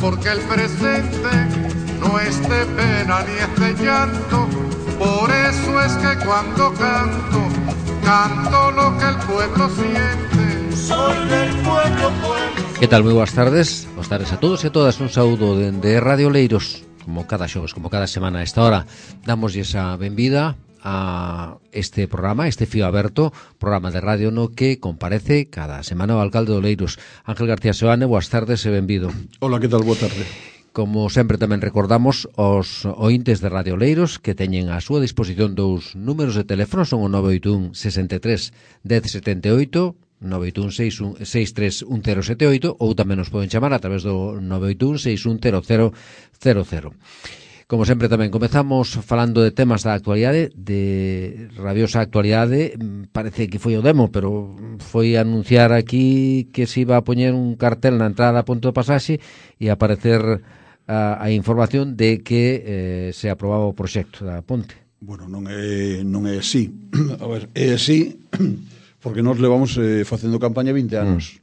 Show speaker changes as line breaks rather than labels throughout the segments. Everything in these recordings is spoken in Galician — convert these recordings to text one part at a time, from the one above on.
porque el presente no es de pena ni es de llanto. Por eso es que cuando canto, canto lo que el pueblo siente. Soy del pueblo, pueblo.
Que tal? Moi boas tardes a todos e a todas. Un saúdo de Radio Oleiros. Como cada xoves, como cada semana a esta hora, damoslle esa benvida a este programa, este Fío Aberto, programa de radio no que comparece cada semana o alcalde de Oleiros, Ángel García Seoane. Boas tardes e benvido.
Hola, que tal? Boa tarde.
Como sempre tamén recordamos aos ointes de Radio Oleiros que teñen á súa disposición dous números de teléfono, son o 981 63 1078, 981 631078, ou tamén nos poden chamar a través do 981 610000. Como sempre tamén comezamos falando de temas da actualidade, de rabiosa actualidade. Parece que foi o demo, pero foi anunciar aquí que se iba a poñer un cartel na entrada a Ponte do Pasaxe e aparecer a información de que se aprobaba o proxecto da ponte.
Bueno, non é así. A ver, é así porque nós levamos facendo campaña 20 anos.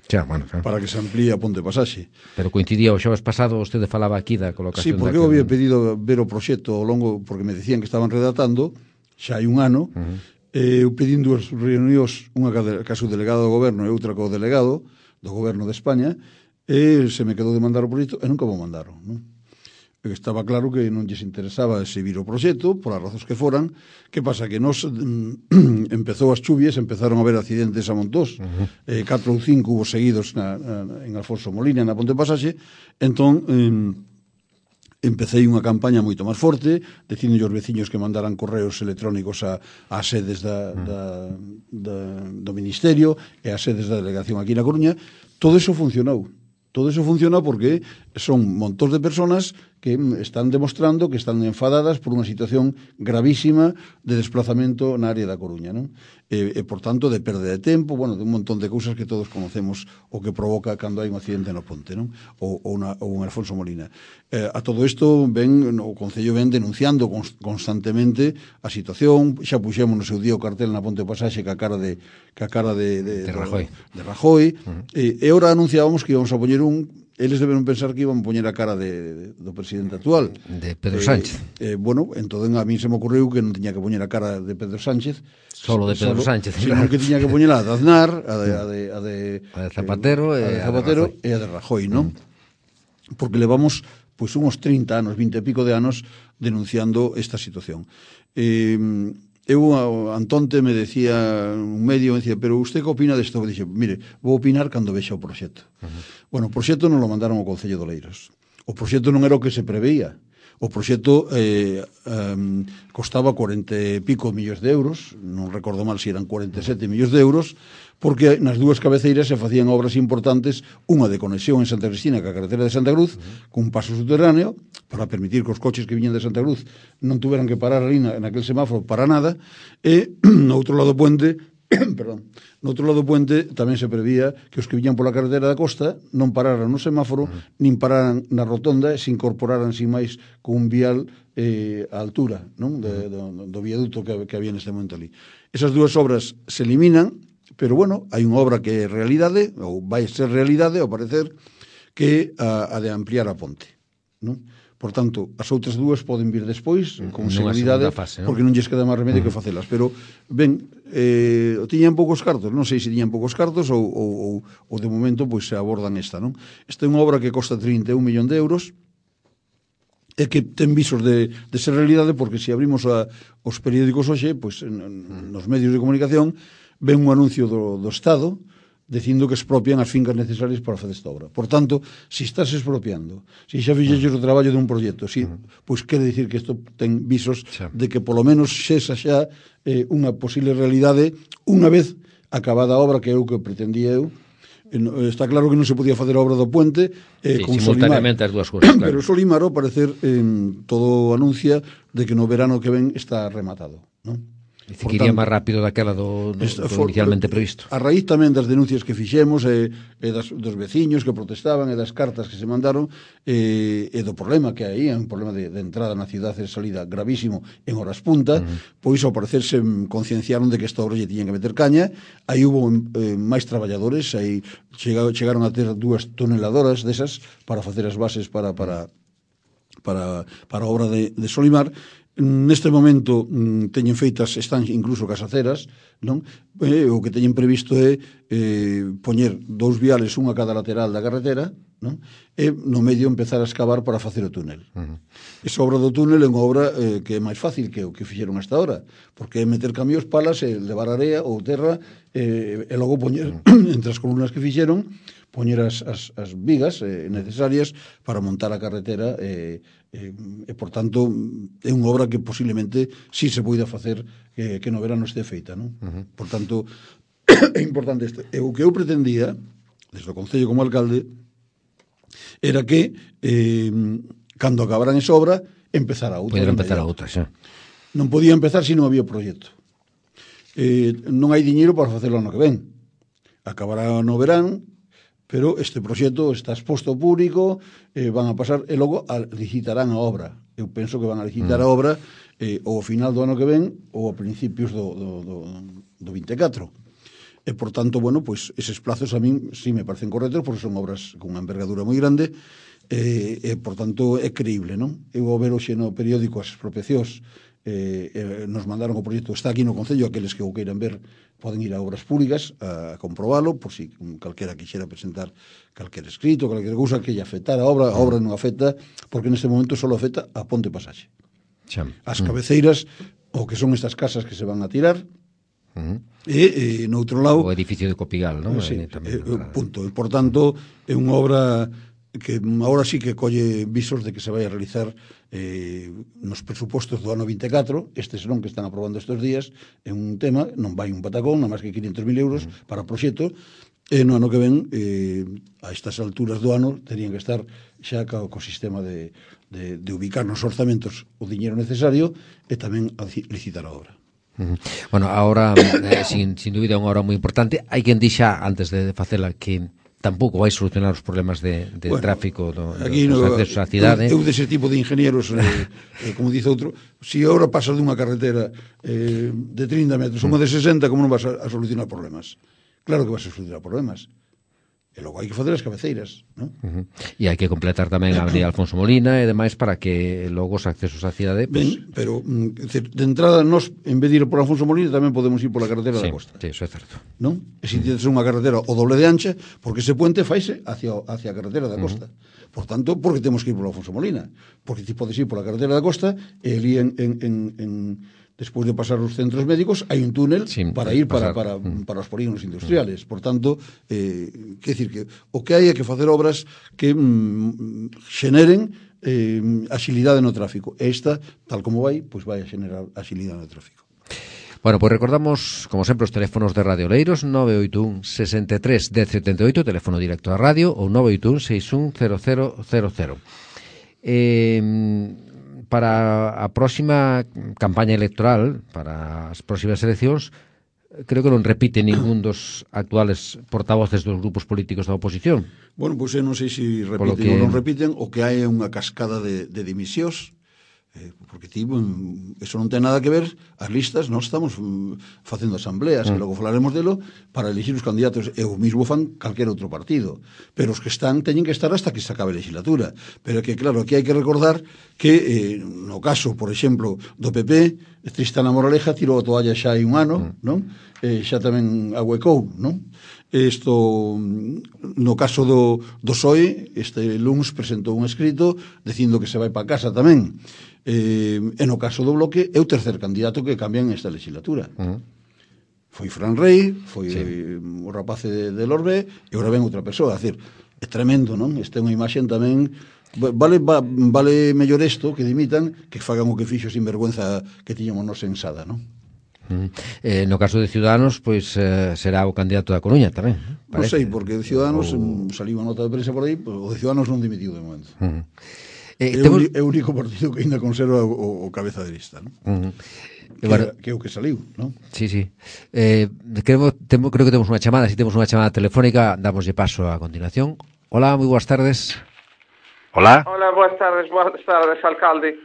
Xa, bueno, xa.
Para que se amplíe a Ponte Pasaxe.
Pero coincidía o xoves pasado, vostede falaba aquí da colocación.
Sí, porque eu había pedido ver o proxecto ao longo, porque me decían que estaban redactando xa hai un ano. Eu pedín dúas reunións, unha caso delegado do goberno e outra co delegado do goberno de España, e se me quedou de mandar o proxecto e nunca me mandaron, non? Estaba claro que non lles interesaba seguir o proxecto, por as razóns que foran. Que pasa? Que nos empezou as chuvias, empezaron a haber accidentes a montós, 4 ou 5 hubo seguidos en Alfonso Molina, na Ponte Pasaxe. Entón, empecé unha campaña moito máis forte, dicindo aos veciños que mandaran correos electrónicos a sedes do Ministerio e a sedes da delegación aquí na Coruña. Todo eso funcionou. Todo eso funciona porque son montóns de personas que están demostrando que están enfadadas por unha situación gravísima de desplazamento na área da Coruña, non? E por tanto, de perda de tempo, bueno, de un montón de cousas que todos conocemos o que provoca cando hai un accidente no ponte, non? Ou un Alfonso Molina. A todo isto, o Concello ven denunciando constantemente a situación. Xa puxemos no seu día o cartel na Ponte Pasaxe que a cara de Rajoy. E ahora anunciábamos que íbamos a poñer eles deben pensar que iban poñer a cara do presidente actual,
de Pedro Sánchez.
Bueno, entón a mí se me ocurriu que non tiña que poñer a cara de Pedro Sánchez,
solo de Pedro Sánchez,
sino que tiña que poñer a de Aznar, a de
Zapatero
e a de Rajoy, non? Porque levamos pois uns 30 anos, 20 e pico de anos denunciando esta situación. Antonte me decía, un medio me decía, pero usted que opina desto? Dixe, mire, vou opinar cando vexa o proxecto. Bueno, o proxecto non lo mandaron ao Concello de Oleiros. O proxecto non era o que se preveía. O proxecto costaba 40 e pico millóns de euros, non recordo mal se eran 47 millóns de euros, porque nas dúas cabeceiras se facían obras importantes, unha de conexión en Santa Cristina ca carretera de Santa Cruz, cun paso subterráneo, para permitir que os coches que viñan de Santa Cruz non tuveran que parar ali naquel semáforo para nada, e no outro lado do puente, no outro lado do puente tamén se prevía que os que viñan pola carretera da costa non pararan no semáforo, nin pararan na rotonda e se incorporaran sin máis con un vial a altura, non? Do viaduto que había neste momento ali. Esas dúas obras se eliminan, pero bueno, hai unha obra que é realidade, ou vai ser realidade, ao parecer, que a de ampliar a ponte, non? Por tanto, as outras dúas poden vir despois, con seguridade, porque non lles queda máis remedio que facelas. Pero, ben, tiñan poucos cartos, non sei se tiñan poucos cartos ou de momento pois se abordan esta, non? Esta é unha obra que costa 31 millón de euros, e que ten visos de ser realidade, porque se abrimos os periódicos hoxe, pois nos medios de comunicación, ven un anuncio do Estado dicindo que expropian as fincas necesarias para facer esta obra. Por tanto, se estás expropiando, se xa fixeches o traballo dun proxecto, pois quere dicir que isto ten visos de que polo menos xa unha posible realidade unha vez acabada a obra, que é o que pretendía eu. Está claro que non se podía facer a obra do puente con
simultaneamente as dúas cousas, claro.
Pero Solimar, ao parecer, todo anuncia de que no verano que ven está rematado, non?
Dice que iría máis rápido daquela do inicialmente previsto.
A raíz tamén das denuncias que fixemos e dos veciños que protestaban e das cartas que se mandaron e do problema que hai, un problema de entrada na cidade e de salida gravísimo en horas punta, pois ao parecerse concienciaron de que esta obra lle tiñan que meter caña. Aí hubo máis traballadores, aí chegaron a ter 2 toneladoras desas para facer as bases para a obra de Solimar. Neste momento teñen feitas, están incluso casaceras, non? O que teñen previsto é poñer 2 viales, unha a cada lateral da carretera, non? E no medio empezar a excavar para facer o túnel. Esa obra do túnel é unha obra que é máis fácil que o que fixeron hasta ahora, porque é meter camións, palas, e levar area ou terra e logo poñer entre as columnas que fixeron, poñer as vigas necesarias para montar a carretera e por tanto é unha obra que posiblemente si se poida facer que no verano este feita, non? Por tanto é importante isto. E o que eu pretendía desde o Concello como alcalde era que cando acabaran esa obra empezara outra.
Poder empezar a outra, xa.
Non podía empezar se non había proxecto. Non hai diñeiro para facelo ano que ven. Acabará no verano, pero este proxecto está exposto ao público, van a pasar e logo licitarán a obra. Eu penso que van a licitar a obra ou ao final do ano que ven ou a principios do 24. E, por tanto, bueno, pues eses plazos a min sí me parecen correctos porque son obras con unha envergadura moi grande e, por tanto, é creíble, non? Eu ao ver hoxe no periódico as expropiacións nos mandaron o proxecto, está aquí no Concello, aqueles que o queiran ver poden ir a Obras Públicas a comprobalo, por si calquera quixera presentar calquer escrito, calquera cousa que lle afectara a obra non afecta, porque neste momento só afecta a Ponte Pasaxe. As cabeceiras, o que son estas casas que se van a tirar, e no outro lado
o edificio de Copigal, non?
Sí, punto. E, por tanto, é unha obra que agora sí que colle visos de que se vai a realizar nos presupostos do ano 24, estes non que están aprobando estes días, é un tema, non vai un patacón, non máis que 500.000 euros para o proxecto, e no ano que ven, a estas alturas do ano, terían que estar xa co sistema de ubicar nos orzamentos o diñeiro necesario e tamén a licitar a obra.
Bueno, ahora, sin dúbida, é unha obra moi importante. Hai quen dixa, antes de facela, que tampouco vai solucionar os problemas de tráfico dos accesos á cidade.
Eu dese tipo de ingenieros, como dice outro, se agora pasa dunha carretera de 30 metros a unha de 60, como non vas a solucionar problemas? Claro que vas a solucionar problemas. E logo hai que facer as cabeceiras, non?
E hai que completar tamén a Avenida Alfonso Molina e demais para que logo os accesos á cidade...
Ben, pero, de entrada, nós, en vez de ir por Alfonso Molina, tamén podemos ir pola carretera da costa.
Sí, eso é certo.
Non? E se tienes unha carretera o doble de ancha, porque ese puente faise hacia a carretera da costa. Por tanto, porque temos que ir por Alfonso Molina? Porque ti podes ir pola carretera da costa e ali despois de pasar os centros médicos, hai un túnel para ir para os polígonos industriales. Por tanto, quer decir que o que hai é que facer obras que xeneren axilidade no tráfico. E esta, tal como vai, pois vai a xenerar axilidade no tráfico.
Bueno, pois recordamos, como sempre, os teléfonos de Radio Oleiros, 981 63 1078, teléfono directo da radio, ou 981 61 0000. Para a próxima campaña electoral, para as próximas eleccións, creo que non repite ningún dos actuales portavoces dos grupos políticos da oposición.
Bueno, pois eu non sei se repiten ou non repiten, o que hai é unha cascada de dimisións, porque eso non ten nada que ver, as listas, nós estamos facendo asambleas, que logo falaremos delo, para elegir os candidatos, e o mismo fan calquer outro partido, pero os que están teñen que estar hasta que se acabe a legislatura, pero que claro, aquí hai que recordar que no caso, por exemplo, do PP, Tristana Moraleja tirou a toalla xa hai un ano, non? Xa tamén ahuecou, non? Isto, no caso do PSOE, este luns presentou un escrito dicindo que se vai para casa tamén. E no caso do Bloque é o tercer candidato que cambian esta legislatura. Foi Fran Rey, foi o rapaz de Lorbe, e agora ven outra persoa. É dicir, é tremendo, non? Esta é unha imaxe tamén... Vale mellor isto que dimitan que fagan o que fixo sin vergüenza que tiñamos nos ensada, non?
No caso de Ciudadanos, pois será o candidato da Coruña tamén.
Non sei, porque de Ciudadanos saliu unha nota de prensa por aí, o de Ciudadanos non dimitiu de momento. É o único partido que ainda conserva o cabeza de lista, non? Que é o que saliu, non?
Sí. Creo que temos unha chamada. Si temos unha chamada telefónica, damoslle paso a continuación. Hola, moi boas tardes. Hola,
boas tardes, alcalde.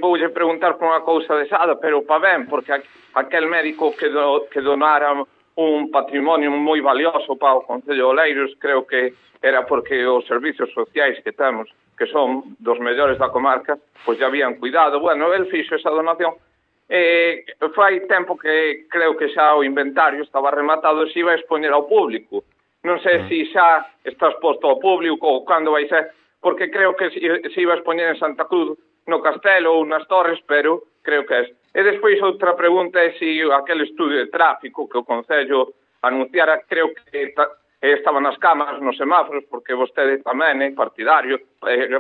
Voulle preguntar por unha cousa de Sada, pero pa ben, porque aquel médico que donara un patrimonio moi valioso para o Concello de Oleiros, creo que era porque os servizos sociais que temos, que son dos mellores da comarca, pois ya habían cuidado. Bueno, el fixo esa donación. Fai tempo que creo que xa o inventario estaba rematado e se iba a expoñer ao público. Non sei se xa está exposto ao público ou cando vai ser, porque creo que se iba a expoñer en Santa Cruz, no Castelo ou nas Torres, pero creo que é. E despois outra pregunta é se aquel estudio de tráfico que o Concello anunciara, creo que estaban nas cámaras, nos semáforos, porque vostede tamén é partidario,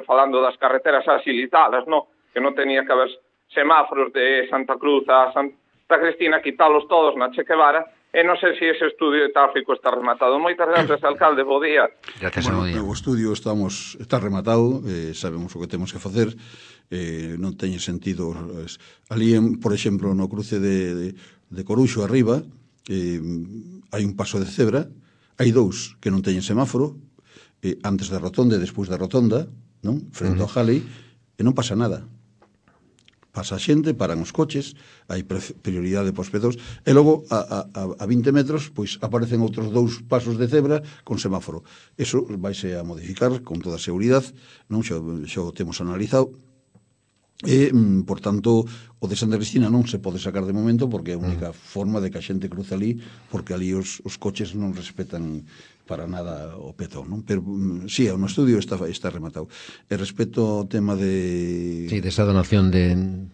falando das carreteras axilizadas, no? Que non tenía que haber semáforos de Santa Cruz a Santa Cristina, quitalos todos na Che Guevara, e non sei se ese estudio de tráfico está rematado. Moitas gracias, alcalde, bo día.
O estudio está rematado, sabemos o que temos que facer, non teñe sentido. Ali, por exemplo, no cruce de Coruxo arriba, hai un paso de cebra, hai dous que non teñen semáforo, antes da rotonda e despois da rotonda, non? Frente ao Jali, e non pasa nada. Pasa a xente, paran os coches, hai prioridade para os pedós, e logo a 20 metros pois aparecen outros dous pasos de cebra con semáforo. Eso vaise a modificar con toda a seguridade, non xa o temos analizado, e, por tanto, o de Santa Cristina non se pode sacar de momento porque é a única forma de que a xente cruce ali, porque ali os coches non respetan para nada o petón, non? Pero, sí, o estudio está rematado. E respecto ao tema de...
Sí, desa donación de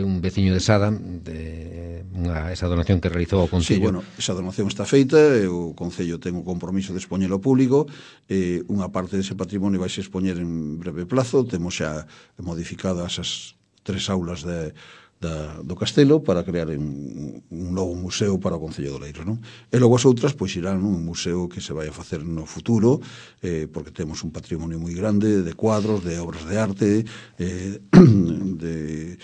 un veciño de Sada, esa donación que realizou o Concello.
Sí, bueno, esa donación está feita, o Concello ten o compromiso de expoñelo ao público, unha parte dese patrimonio vai se expoñer en breve plazo, temos xa modificadas as 3 aulas do Castelo para crear un novo museo para o Concello de Oleiros, non? E logo as outras pois irán un museo que se vai a facer no futuro, porque temos un patrimonio moi grande de cuadros, de obras de arte, de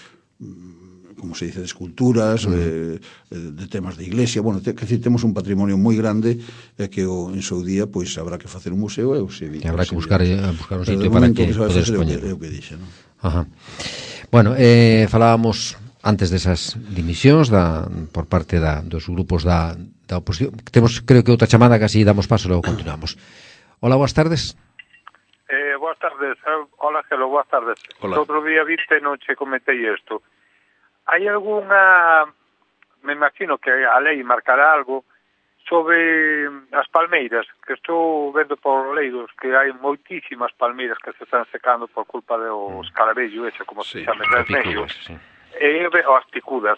como se dice, de esculturas, de temas de iglesia. Bueno, temos un patrimonio moi grande que en seu día pois habrá que facer un museo e
habrá que buscar un sitio para que poder expoñer.
É o que dixe, non?
Ajá. Bueno, falábamos antes desas dimisións por parte dos grupos da oposición. Temos, creo que outra chamada que así damos paso e logo continuamos. Hola, boas tardes.
Boas tardes. Hola, Gelo, boas tardes.
Hola.
Outro día viste, non che comentei isto. Hai algunha, me imagino que a lei marcará algo sobre as palmeiras, que estou vendo por Oleiros que hai moitísimas palmeiras que se están secando por culpa do escaravello ese, como se chama en medio, e as picudas.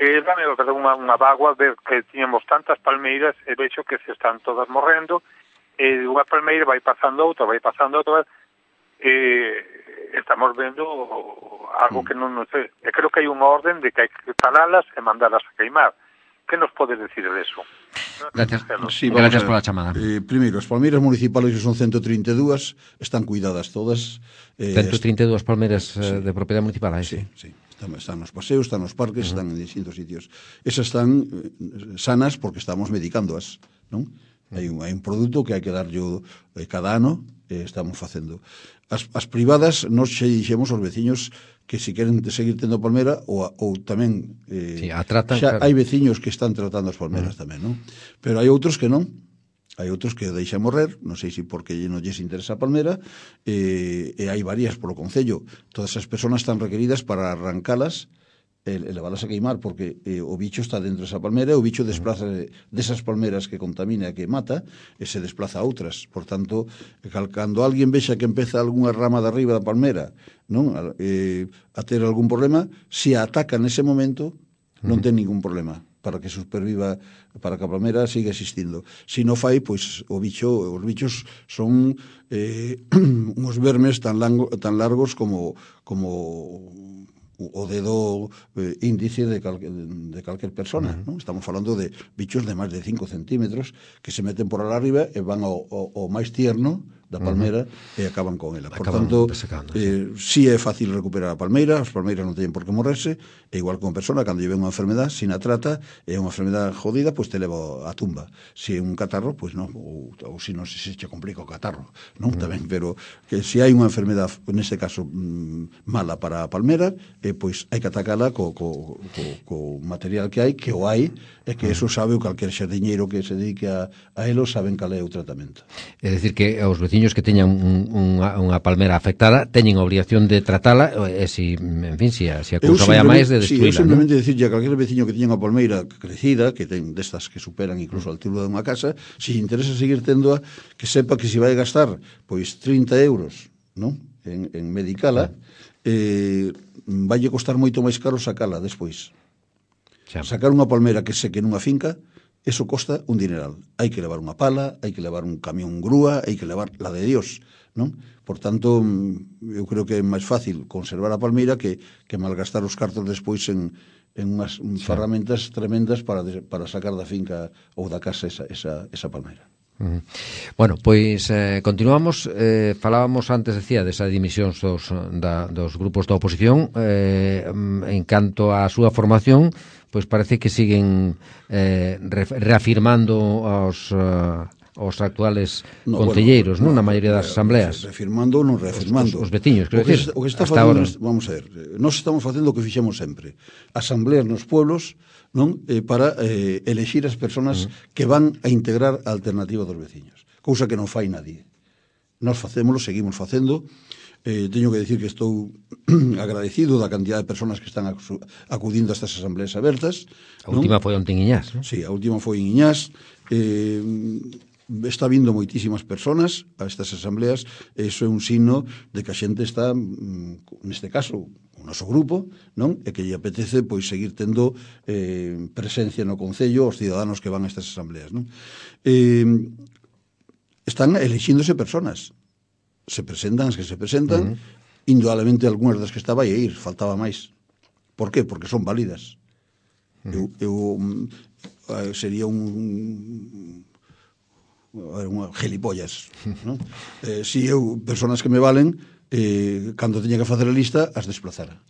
Dame unha bagua ver que tiñamos tantas palmeiras e vexo que se están todas morrendo, e unha palmeira vai pasando outra, estamos vendo algo que non sei. E creo que hai unha orden de que hai que talalas e mandalas a queimar. Que nos podes decir de eso?
Gracias, sí, gracias por la chamada.
Primeiro, as palmeiras municipales, que son 132, están cuidadas todas.
132 palmeiras de propiedade municipal,
sí. Están nos paseos, están nos parques, están en distintos sitios. Esas están sanas porque estamos medicándoas, non? Hai un produto que hai que darlle cada ano, estamos facendo. As privadas, nos xe dixemos aos veciños que se queren seguir tendo palmera ou tamén xa hai veciños que están tratando as palmeras tamén, non? Pero hai outros que non. Hai outros que deixan morrer, non sei se porque non lles interesa a palmera, e hai varias polo Concello. Todas as persoas están requeridas para arrancalas e leválas a queimar, porque o bicho está dentro desa palmera e o bicho desplaza desas palmeras que contamina e que mata e se desplaza a outras. Por tanto, cando alguén vexa que empeza algunha rama de arriba da palmera, non, a ter algún problema, se a ataca nese momento, non ten ningún problema para que superviva, para que a palmera siga existindo. Se non fai, pois os bichos son uns vermes tan largos como o dedo índice de calquer persona, non? Estamos falando de bichos de máis de 5 centímetros que se meten por alá arriba e van ao máis tierno, da palmeira e acaban con ela. Por tanto, si é fácil recuperar a palmeira, as palmeiras non teñen por que morrerse, e igual que unha persona, cando lle ven unha enfermedad, se na trata, é unha enfermedad jodida, pois te leva a tumba. Se é un catarro, pois non, ou se non se che complica o catarro, non? Tamén, pero que se hai unha enfermedad, neste caso, mala para a palmera, pois hai que atacala co material que hai, que o hai, e que eso sabe o calquer xardiñeiro que se dedique a elo, saben cal é o tratamento.
É dicir que os veciños que teñan unha palmera afectada teñen a obligación de tratala, e se, en fin, se a cousa vai a máis, de destruíla.
Eu simplemente dicirlle a calquer veciño que teña unha palmeira crecida, que ten destas que superan incluso a altura de unha casa, se interesa seguir tendoa, que sepa que se vai gastar pois 30 euros, non? En medicala, vai costar moito máis caro sacala despois. Sacar unha palmera que seque nunha finca, eso costa un dineral. Hai que levar unha pala, hai que levar un camión grúa, hai que levar la de Dios, non? Por tanto, eu creo que é máis fácil conservar a palmeira que malgastar os cartos despois en unhas ferramentas tremendas para sacar da finca ou da casa esa palmeira.
Bueno, pois continuamos. Falábamos antes, decía, desa dimisión dos grupos da oposición. En canto á súa formación, pois parece que siguen reafirmando os actuales concelleiros, non? Na maioría das asambleas.
Reafirmando ou non reafirmando.
Os veciños, quero dicir.
O que está facendo, vamos a ver, nós estamos facendo o que fixemos sempre. Asambleas nos pueblos, non, para elexir as persoas que van a integrar a alternativa dos veciños, cousa que non fai nadie. Nós facémolo, seguimos facendo. Teño que decir que estou agradecido da cantidad de persoas que están acudindo a estas asambleas abertas.
A última foi onte en Iñás, non?
Sí, a última foi en Iñás. Está vindo moitísimas persoas a estas asambleas, e iso é un signo de que a xente está, neste caso, o noso grupo, non? E que lle apetece pois seguir tendo presencia no concello, os ciudadanos que van a estas asambleas, non? Están elexíndose persoas. Se presentan as que se presentan, indudablemente algunhas das que estaba a ir, faltaba máis. Por qué? Porque son válidas. Eu sería unha gelipollas, non? Si eu, persoas que me valen, cando teña que facer a lista, as desplazara.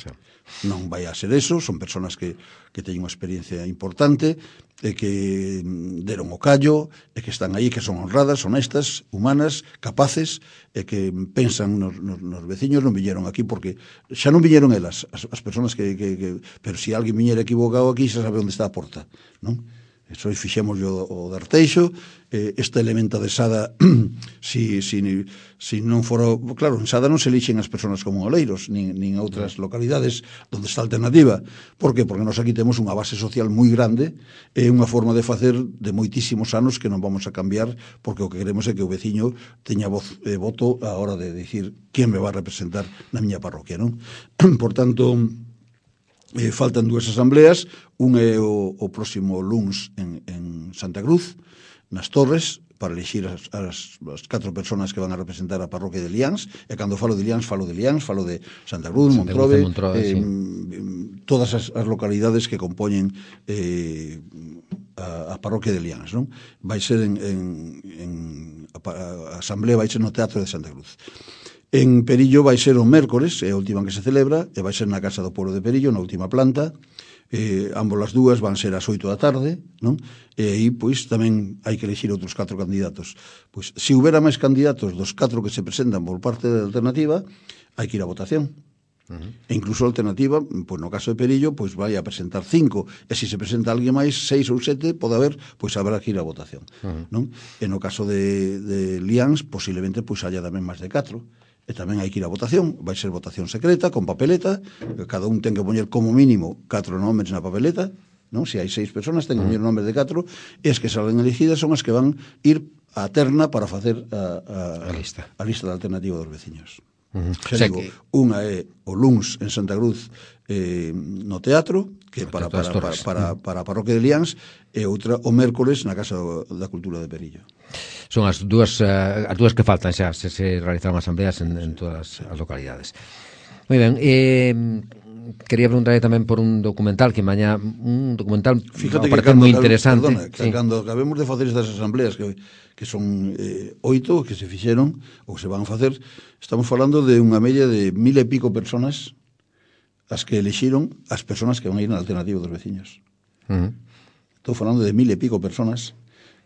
Non vai a ser eso, son persoas que teñen unha experiencia importante, e que deron o callo, e que están aí, que son honradas, honestas, humanas, capaces, e que pensan nos veciños. Non viñeron aquí porque xa non viñeron elas, as persoas pero se alguén viñera equivocado aquí, xa sabe onde está a porta, non? Eso fixemos o Darteixo, esta elementa de Sada, si non fora, claro, en Sada non se elixen as persoas como Oleiros, nin outras localidades onde está a alternativa. Por que? Porque nós aquí temos unha base social moi grande, e unha forma de facer de moitísimos anos que non vamos a cambiar, porque o que queremos é que o veciño teña voz e voto a hora de dicir quen me va a representar na miña parroquia, non? Por tanto, faltan dúas asambleas, un é o próximo luns en Santa Cruz, nas Torres, para elixir as 4 persoas que van a representar a parroquia de Liáns, e cando falo de Liáns, falo de Santa Cruz, Montrove, todas as localidades que compoñen a parroquia de Liáns, non? Vai ser a asamblea vai ser no Teatro de Santa Cruz. En Perillo vai ser o mércores, é a última que se celebra, e vai ser na Casa do Pueblo de Perillo, na última planta. Ambos as dúas van ser ás 8 da tarde, non? E aí, pois, tamén hai que elegir outros 4 candidatos. Pois, se houbera máis candidatos dos 4 que se presentan por parte da alternativa, hai que ir a votación. E incluso a alternativa, pois no caso de Perillo, pois vai a presentar 5, e se presenta alguén máis, 6 ou 7, pode haber, pois habrá que ir a votación, non? E no caso de Liáns, posiblemente, pois haya tamén máis de 4. E tamén hai que ir a votación, vai ser votación secreta, con papeleta, cada un ten que poñer como mínimo 4 nomes na papeleta, non? Se hai 6 persoas, ten que poñer nomes de 4, e as que salen elegidas son as que van ir á terna para facer a lista da alternativa dos veciños. Xa digo, unha é o luns en Santa Cruz no teatro, que é para a parroquia de Liáns, e outra o mércores na Casa da Cultura de Perillo.
Son as dúas que faltan xa, se realizaron asambleas en todas as localidades. Moi ben, quería preguntarle tamén por un documental que mañá, un documental
Fíjate que
parece moi interesante.
Perdona, que cando acabemos de facer estas asambleas que son 8 que se fixeron ou que se van a facer, estamos falando de unha media de 1000 e pico personas as que elixiron as personas que van a ir na alternativa dos veciños. Estou falando de 1000 e pico personas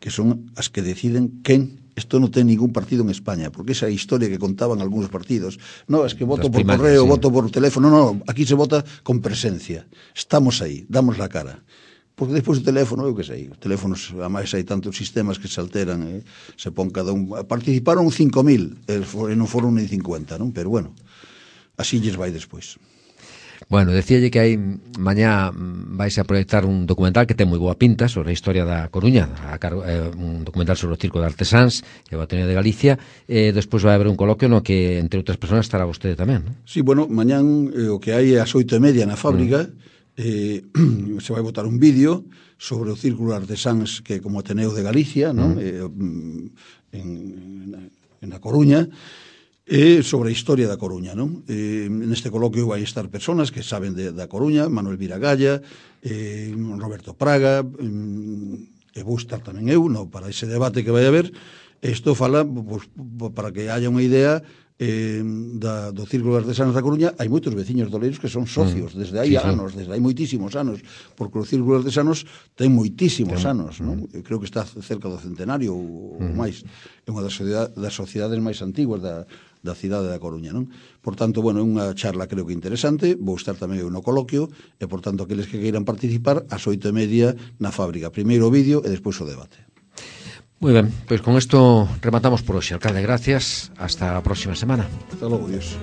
que son as que deciden quen. Isto non ten ningún partido en España, porque esa historia que contaban algúns partidos, no, es que voto por correo, voto por teléfono, no, aquí se vota con presencia. Estamos aí, damos la cara. Porque despois o teléfono, eu que sei, os teléfonos, a máis hai tantos sistemas que se alteran, se pon cada un. Participaron 5.000, e non foron ni 50, non? Pero bueno, así lles vai despois.
Bueno, decíalle que hai mañá vais a proyectar un documental que ten moi boa pinta sobre a historia da Coruña, un documental sobre o Circo de Artesáns e o Ateneo de Galicia, e despois vai haber un coloquio no que, entre outras persoas, estará vostede tamén, non?
Sí, bueno, mañán o que hai é ás 8:30 na fábrica, se vai botar un vídeo sobre o Círculo de Artesáns que como Ateneo de Galicia, non? Na Coruña, e sobre a historia da Coruña, non? Neste coloquio vai estar persoas que saben da Coruña, Manuel Viragalla, Roberto Praga, e vou estar tamén eu, para ese debate que vai haber. Isto fala, pues, para que haya unha idea do Círculo de Artesanos da Coruña. Hai moitos veciños doleiros que son socios desde hai anos, desde hai moitísimos anos, porque o Círculo de Artesanos ten moitísimos anos, non? Eu creo que está cerca do centenario ou máis. É unha das sociedades máis antiguas da cidade da Coruña, non? Por tanto, bueno, é unha charla creo que interesante, vou estar tamén eu no coloquio, e por tanto, aqueles que queiran participar, ás 8:30 na fábrica. Primeiro o vídeo e despois o debate.
Moi ben, pois con isto rematamos por hoxe. Alcalde, gracias. Hasta a próxima semana.
Hasta logo, Dios.